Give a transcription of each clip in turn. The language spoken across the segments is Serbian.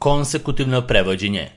Konsekutivno prevođenje.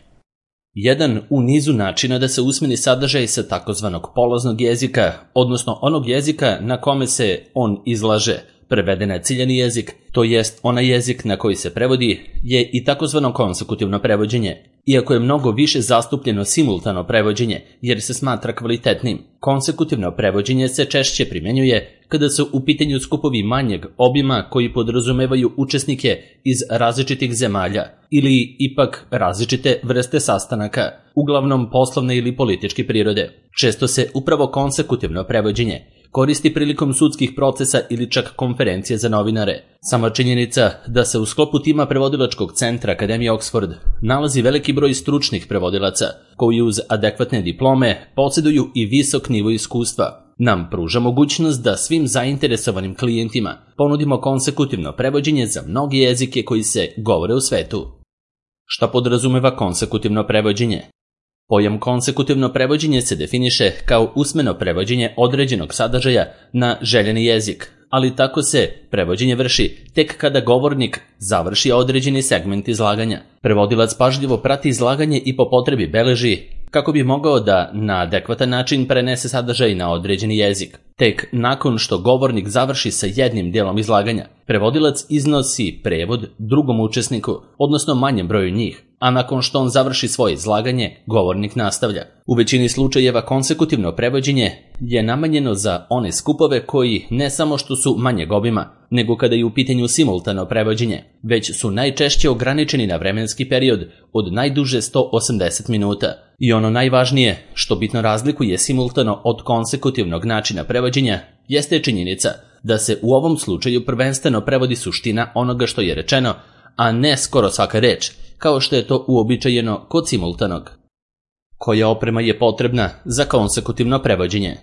Jedan u nizu načina da se usmeni sadržaj sa takozvanog polaznog jezika, odnosno onog jezika na kome se on izlaže, prevede na ciljani jezik, to jest onaj jezik na koji se prevodi, je i takozvano konsekutivno prevođenje. Iako je mnogo više zastupljeno simultano prevođenje, jer se smatra kvalitetnim, konsekutivno prevođenje se češće primjenjuje kada su u pitanju skupovi manjeg obima koji podrazumevaju učesnike iz različitih zemalja ili ipak različite vrste sastanaka, uglavnom poslovne ili političke prirode. Često se upravo konsekutivno prevođenje koristi prilikom sudskih procesa ili čak konferencije za novinare. Sama činjenica da se u sklopu tima prevodilačkog centra Akademije Oxford nalazi veliki broj stručnih prevodilaca koji uz adekvatne diplome posjeduju i visok nivo iskustva nam pruža mogućnost da svim zainteresovanim klijentima ponudimo konsekutivno prevođenje za mnoge jezike koji se govore u svetu. Šta podrazumeva konsekutivno prevođenje? Pojam konsekutivno prevođenje se definiše kao usmeno prevođenje određenog sadržaja na željeni jezik, ali tako se prevođenje vrši tek kada govornik završi određeni segment izlaganja. Prevodilac pažljivo prati izlaganje i po potrebi beleži kako bi mogao da na adekvatan način prenese sadržaj na određeni jezik. Tek nakon što govornik završi sa jednim delom izlaganja, prevodilac iznosi prevod drugom učesniku, odnosno manjem broju njih, a nakon što on završi svoje izlaganje, govornik nastavlja. U većini slučajeva konsekutivno prevođenje je namenjeno za one skupove koji ne samo što su manjeg obima, nego kada je u pitanju simultano prevođenje, već su najčešće ograničeni na vremenski period od najduže 180 minuta. I ono najvažnije, što bitno razlikuje simultano od konsekutivnog načina prevođenja, jeste činjenica da se u ovom slučaju prvenstveno prevodi suština onoga što je rečeno, a ne skoro svaka reč, kao što je to uobičajeno kod simultanog. Koja oprema je potrebna za konsekutivno prevođenje?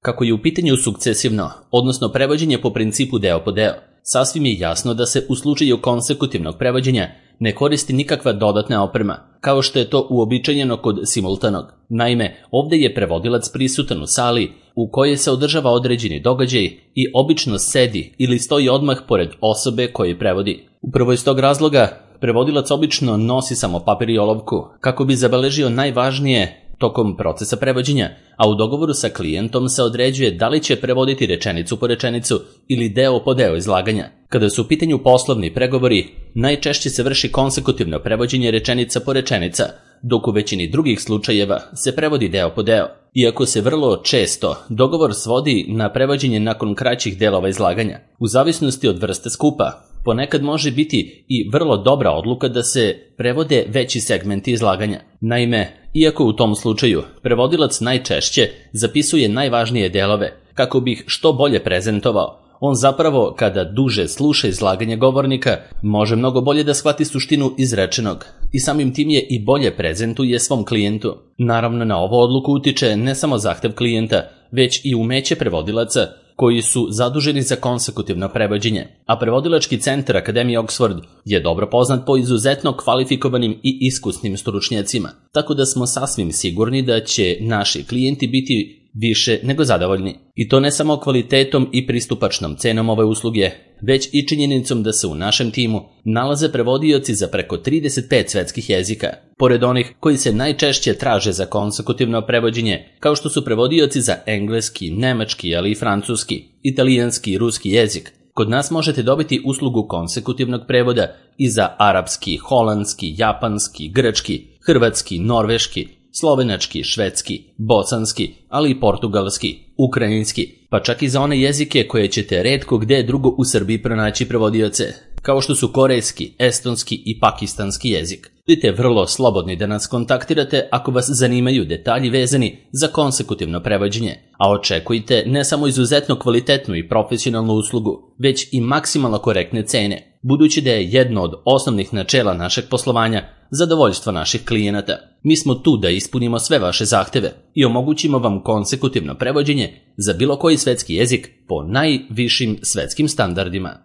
Kako je u pitanju sukcesivno, odnosno prevođenje po principu deo po deo, sasvim je jasno da se u slučaju konsekutivnog prevođenja ne koristi nikakva dodatna oprema, kao što je to uobičajeno kod simultanog. Naime, ovdje je prevodilac prisutan u sali u kojoj se održava određeni događaj i obično sedi ili stoji odmah pored osobe koje prevodi. Upravo iz tog razloga, prevodilac obično nosi samo papir i olovku kako bi zabeležio najvažnije tokom procesa prevođenja, a u dogovoru sa klijentom se određuje da li će prevoditi rečenicu po rečenicu ili deo po deo izlaganja. Kada su u pitanju poslovni pregovori, najčešće se vrši konsekutivno prevođenje rečenica po rečenica, dok u većini drugih slučajeva se prevodi deo po deo. Iako se vrlo često dogovor svodi na prevođenje nakon kraćih delova izlaganja, u zavisnosti od vrste skupa, ponekad može biti i vrlo dobra odluka da se prevode veći segmenti izlaganja. Naime, iako u tom slučaju prevodilac najčešće zapisuje najvažnije delove kako bi ih što bolje prezentovao, on zapravo, kada duže sluša izlaganje govornika, može mnogo bolje da shvati suštinu izrečenog i samim tim je i bolje prezentuje svom klijentu. Naravno, na ovu odluku utiče ne samo zahtev klijenta, već i umeće prevodilaca koji su zaduženi za konsekutivno prevođenje, a prevodilački centar Akademije Oxford je dobro poznat po izuzetno kvalifikovanim i iskusnim stručnjacima, tako da smo sasvim sigurni da će naši klijenti biti više nego zadovoljni. I to ne samo kvalitetom i pristupačnom cenom ove usluge, već i činjenicom da se u našem timu nalaze prevodioci za preko 35 svetskih jezika, pored onih koji se najčešće traže za konsekutivno prevođenje, kao što su prevodioci za engleski, nemački, ali i francuski, italijanski i ruski jezik. Kod nas možete dobiti uslugu konsekutivnog prevoda i za arapski, holandski, japanski, grčki, hrvatski, norveški, slovenački, švedski, bosanski, ali i portugalski, ukrajinski, pa čak i za one jezike koje ćete retko gde drugo u Srbiji pronaći prevodioce, kao što su korejski, estonski i pakistanski jezik. Budite vrlo slobodni da nas kontaktirate ako vas zanimaju detalji vezani za konsekutivno prevođenje, a očekujte ne samo izuzetno kvalitetnu i profesionalnu uslugu, već i maksimalno korektne cene, budući da je jedno od osnovnih načela našeg poslovanja zadovoljstvo naših klijenata. Mi smo tu da ispunimo sve vaše zahteve i omogućimo vam konsekutivno prevođenje za bilo koji svetski jezik po najvišim svetskim standardima.